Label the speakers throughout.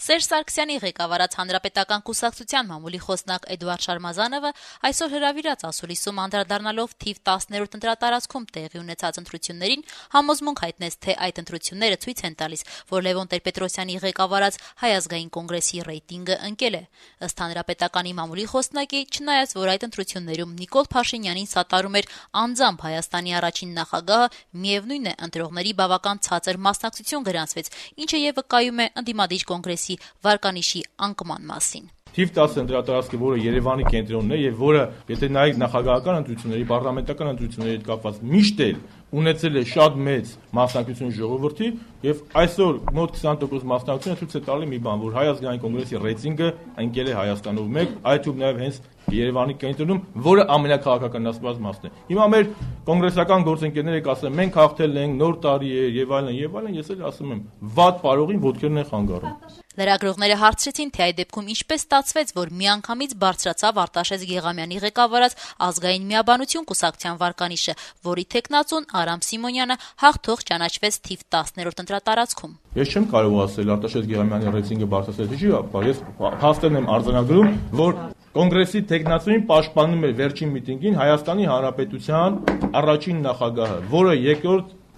Speaker 1: Սերժ Սարգսյանի ղեկավարած Հանրապետական կուսակցության մամուլի խոսնակ Էդուարդ Շարմազանովը այսօր հրավիրած ասուլիսում անդրադառնալով թիվ 10-րդ ընտրատարածքում տեղի ունեցած ընտրություններին համոզմունք հայտնեց, թե այդ ընտրությունները ցույց են տալիս, որ Լևոն Տեր-Պետրոսյանի ղեկավարած Հայ ազգային կոնգրեսի ռեյտինգը ընկել է։ Ըստ Հանրապետականի մամուլի խոսնակի, չնայած որ այդ ընտրություններում Նիկոլ Փաշինյանին սատարում էր անձամբ Հայաստանի առաջին նախագահը, միևնույն է, ընտրողների բավական ցածր մասնակցություն գրանցվեց, ինչը եւ վկայում է ընդդիմադիր կոնգրեսի վարկանիշի անկման մասին։
Speaker 2: Թիվ 10 ընտրատարածքը, որը Երևանի կենտրոնն է եւ որը, եթե նայեք նախագահական ընտրությունների, պարլամենտական ընտրությունների հետ կապված միշտ էլ ունեցել է շատ մեծ մասնակցություն ժողովրդի եւ այսօր մոտ 20% մասնակցությունը ցույց է տալի մի բան, որ Հայ ազգային կոնգրեսի ռեյտինգը ընկել է Հայաստանով մեկ, այդ թվում նաեւ հենց Երևանի կենտրոնում, որը ամենակաղաքականացված մասն է։ Հիմա մեր կոնգրեսական գործընկերները կասեն, մենք հաղթել ենք, նոր տարի է եւ այլն, ես էլ ասում եմ, վատ պարողին ոտքերն են խանգարում։
Speaker 1: Լրագրողները հարցրեցին, թե այդ դեպքում ինչպես ստացվեց, որ միանգամից բարձրացավ Արտաշես Գեղամյանի ղեկավարած ազգային միաբանություն կուսակցության վարկանիշը, որի թեկնածուն Արամ Սիմոնյանը հաղթող ճանաչվեց թիվ 10-րդ ընտրատարածքում։
Speaker 2: Ես չեմ կարող ասել Արտաշես Գեղամյանի ռեյտինգը բարձրացել չի, բայց ես փաստերն եմ արձանագրում, որ Կոնգրեսի տեխնացուին պաշտպանում էր վերջին միտինգին Հայաստանի Հանրապետության առաջին նախագահը, որը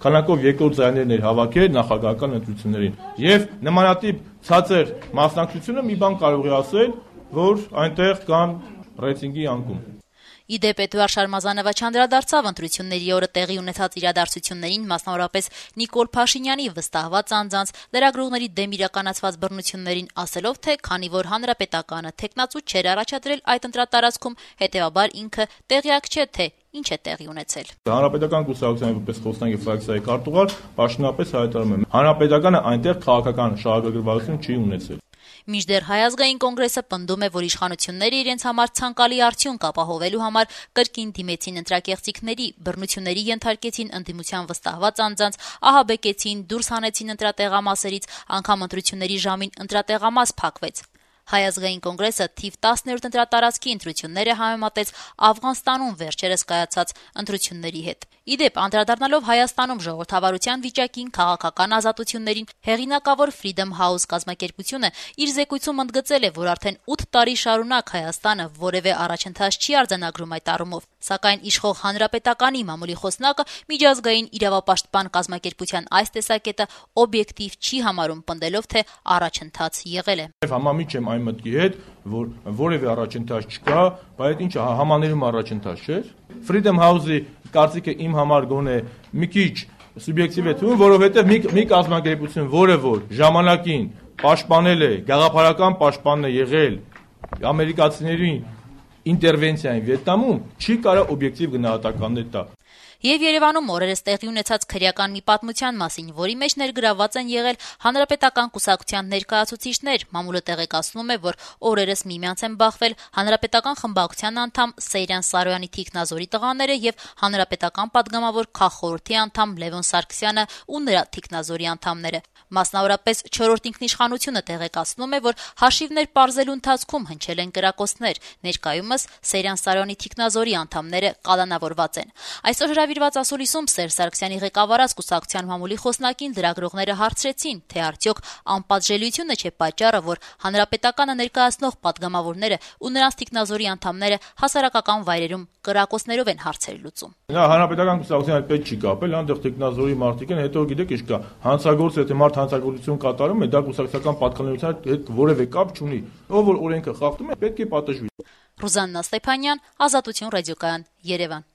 Speaker 2: քանակով երկրորդ ձայներն էր հավաքել նախագահական ընտրություններին։ Եվ նմանատիպ ցածր մասնակցությունը մի բան կարող է ասել, որ այնտեղ կան ռեյտինգի անկում։
Speaker 1: Ի դեպ Էդուարդ Շարմազանովը չանդրադարձավ ընտրությունների օրը տեղի ունեցած իրադարձություններին, մասնավորապես Նիկոլ Փաշինյանի վստահված անձանց լրագրողների դեմ իրականացված բռնություններին, ասելով, թե քանի որ Հանրապետականը թեկնածու չէր առաջադրել այդ ընտրատարածքում, հետեւաբար ինքը տեղյակ չէ, թե ինչ է տեղի ունեցել։
Speaker 2: Հանրապետական կուսակցության որպես խոսնակի ֆրակցիայի քարտուղար պաշտոնապես հայտարարում եմ, Հանրապետականը այնտեղ քաղաքական շահագրգռվածություն չի ունեցել։
Speaker 1: Մինչդեռ Հայ ազգային կոնգրեսը պնդում է, որ իշխանությունները իրենց համար ցանկալի արդյունք ապահովելու համար կրկին դիմեցին ընտրակեղծիքների, բռնությունների ենթարկեցին ընդդիմության վստահված անձանց, ահաբեկեցին, դուրս հանեցին ընտրատեղամասերից, անգամ ընտրությունների ժամին ընտրատեղամաս փակվեց։ Հայ ազգային կոնգրեսը թիվ 10-րդ ընտրատարածքի ընտրությունները համեմատեց Աֆղանստանում վերջերս կայացած ընտրությունների հետ։ Ի դեպ, անդրադառնալով Հայաստանում ժողովրդավարության վիճակին, քաղաքական ազատություններին, հեղինակավոր Freedom House կազմակերպությունը իր զեկույցում ընդգծել է, որ արդեն 8 տարի շարունակ Հայաստանը որևէ առաջընթաց չի արձանագրում այդ առումով, սակայն իշխող Հանրապետականի մամուլի խոսնակը միջազգային իրավապաշտպան կազմակերպության այս տեսակետը օբյեկտիվ չի համարում, պնդելով, թե առաջընթաց եղել է։
Speaker 2: Համամիջ եմ այն մտքի հետ, որ որևէ առաջընթաց չկա, բայց ինչ համաներում առաջընթաց չէր։ Freedom House-ի կարծիքը իմ համար գոնե մի քիչ սուբյեկտիվ է թվում, որովհետև մի կազմակերպություն, որը որ ժամանակին պաշտպանել է, գաղափարական պաշտպանն է եղել ամերիկացիների ինտերվենցիային Վիետնամում, չի կարող օբյեկտիվ գնահատականներ տա։
Speaker 1: Եվ Երևանում օրերս տեղի ունեցած քրեական մի պատմության մասին, որի մեջ ներգրավված են եղել Հանրապետական կուսակցության ներկայացուցիչներ, մամուլը տեղեկացնում է, որ օրերս միմյանց են բախվել Հանրապետական խմբակցության անդամ Սեյրան Սարոյանի թիկնազորի տղաները եւ Հանրապետական падգամավոր քաղխորհրդի անդամ Լևոն Սարգսյանը ու նրա թիկնազորի անդամները։ Մասնավորապես 4-րդ ինքնիշխանությունը տեղեկացնում է, որ հաշիվներ պարզելու ընթացքում հնչել են կրակոցներ, ներկայումս Սեյրան Սարոյանի թիկնազորի անդամները կալանավորված են։ Այսօր հրավիրված ասուլիսում Սերժ Սարգսյանի ղեկավարած կուսակցության մամուլի խոսնակին լրագրողները հարցրեցին, թե արդյոք անպատժելիությունը չէ պատճառը, որ Հանրապետականը ներկայացնող падգամավորները ու նրանց թիկնազորի անդամները հասարակական վայրերում կրակոցներով են հարցեր լուծում։
Speaker 2: Հանրապետական կուսակցության հետ պետք չի կապել, այնտեղ թիկնազորի մարդիկ են, հետո գիտեք ինչ կա, հանցագործ եթե մարդ հանցագործություն կատարում է, դա կուսակցական պատկանելիության հետ որևէ կապ չունի։ Ով որ օրենքը խախտում է, պետք է պատժվի։
Speaker 1: Ռուզաննա Ստեփանյան, Ազատություն ռադիոկայան, Երևան։